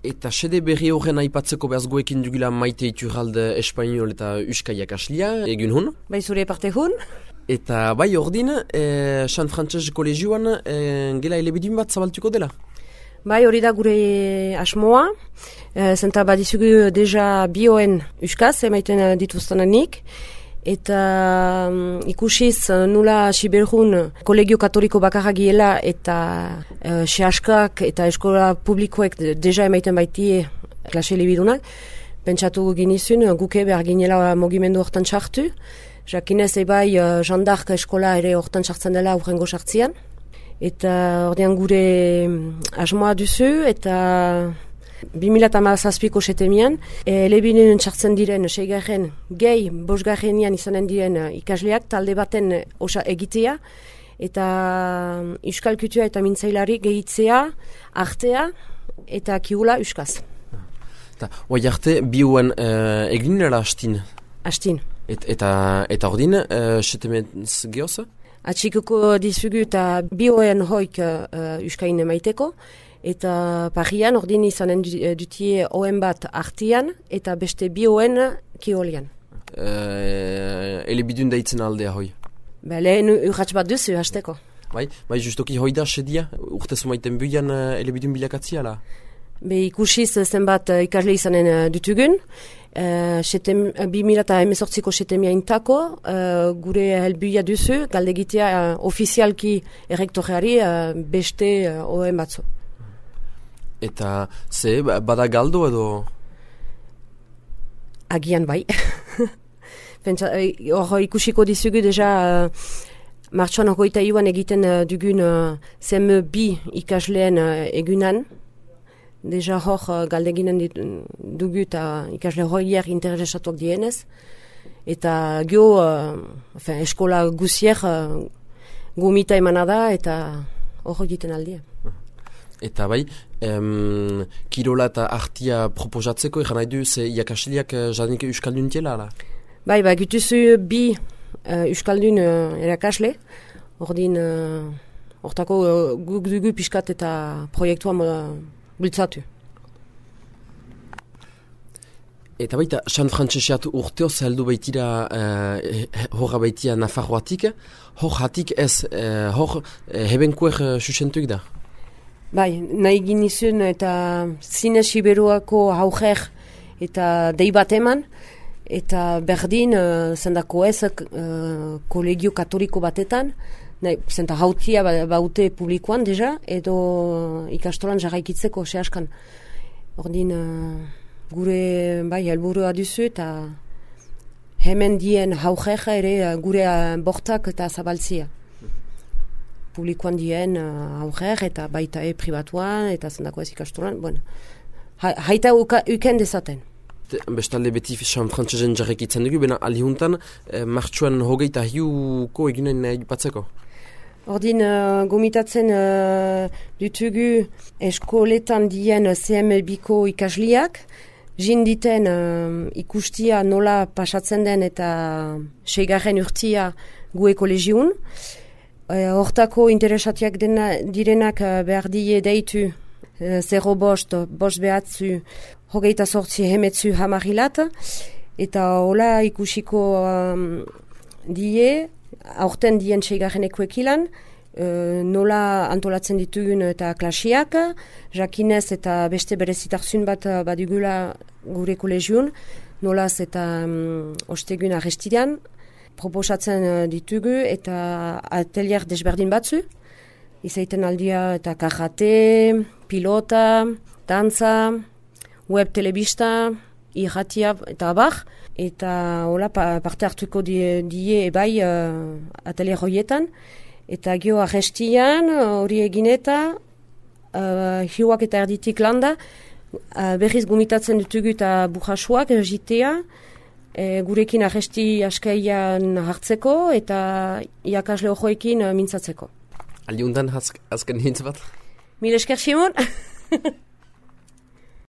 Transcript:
Eta sede berri horren aipatzeko behaz goekin dugula Maite Iturralde Espainol eta Euskaiak aslia, egun hun? Bai zure parte hun? Eta bai ordin, San Frantses kolegioan gela elebidun bat zabaltuko dela? Bai hori da gure asmoa, zenta badizugu deja bioen euskaz, emaiten dituztenanik, eta ikusiz nula Siberjun kolegio katoliko bakarra giela eta sehaskak eta eskola publikoek deja emaiten baitie klase elebidunak, pentsatu ginizun guke behar ginela mugimendu hortan sartu, jakinez ebai jandark eskola ere hortan sartzen dela urrengo sartzian, eta ordean gure asmoa duzu eta 2017ko setemian, elebinen txartzen diren seigarren gehi bosgarrenian izanen diren ikasleak talde baten osa egitea eta euskal kultura eta mintzailari gehitzea, artea eta kiula euskaz. Hoi arte, bioen eginera hastin? Hastin. Eta ordin, setemez gehoz? Atxikuko dizugu eta bioen hoik euskain emaiteko, eta parian ordin izanen dutie oen bat artian eta beste bioen kiolian. Elebidun daitzen aldea hoi? Lehen urratx bat duzu hasteko. Bai justoki hoi da sedia, urtezu maiten buian elebidun bilakatziala? Ikusiz zenbat ikasle izanen dutugun, 2018ko setemia intako, gure helbuia duzu, galdegitea ofizialki errektoreari beste oen batzu. Eta ze, bada galdo edo? Agian bai. Hor ikusiko dizugu deja martxoan 21 egiten dugun CM2 ikasleen egunan. Deja hor galdeginen dugu eta ikasle horiek interesatuak dienez. Eta eskola guziek gumita emanada eta hor egiten aldia. Eta bai, kirola eta artia proposatzeko, egan nahi du, ze iakasiliak jadenik euskaldun tiela, ala? Bai, gutuzu bi euskaldun erakasle, ordin, hortako guk dugu piskat eta proiektua bultzatu. Eta baita, San Frantseseat urteo zaheldu baitira horra baitia Nafarroatik, hor hatik ez, hor hebenkuer susentuik da? Bai, nahi ginizun eta zine Siberuako haujer eta dei bat eman, eta berdin zendako ez kolegio katoliko batetan, zenta hautia baute publikoan deja, edo ikastolan jarraikitzeko sehaskan. Ordin gure helburua duzu eta hemen dien haujer ere gure bortak eta zabaltzia. Publikoan dien aurrer eta baita pribatuan eta zendako ez ikastolan. Bueno, haita uken dezaten. Bestalde beti San Frantsesen jarrekitzen dugu, bena alihuntan martxuan hogeita hiuko eginen batzeko? Ordin gomitatzen dutugu eskoletan dien CM2ko ikasliak, jinditen ikustia nola pasatzen den eta seigarren urtia gue kolegiun. Hortako interesatiak direnak behar die deitu 0 bost behatzu hogeita sortzi hemetzu hamarilat eta hola ikusiko die aurten dien seigarreneko ekilan nola antolatzen ditugun eta klasiak, jakinez eta beste berezitarzun bat badugula gure kolegiun, nolaz eta ostegun arrestidan, proposatzen ditugu eta atelier desberdin batzu, izaiten aldia eta karate, pilota, dantza, web telebista, irratia eta abar, eta hola parte hartuko die ebai atelier horietan, eta gio arrestian hori egin eta hiuak eta erditik landa, berriz gomitatzen ditugu eta burrasuak jitea, gurekin arresti askaian hartzeko eta iakasle hojoekin mintzatzeko. Aldiuntan azken hintz bat? Mil esker, Simon!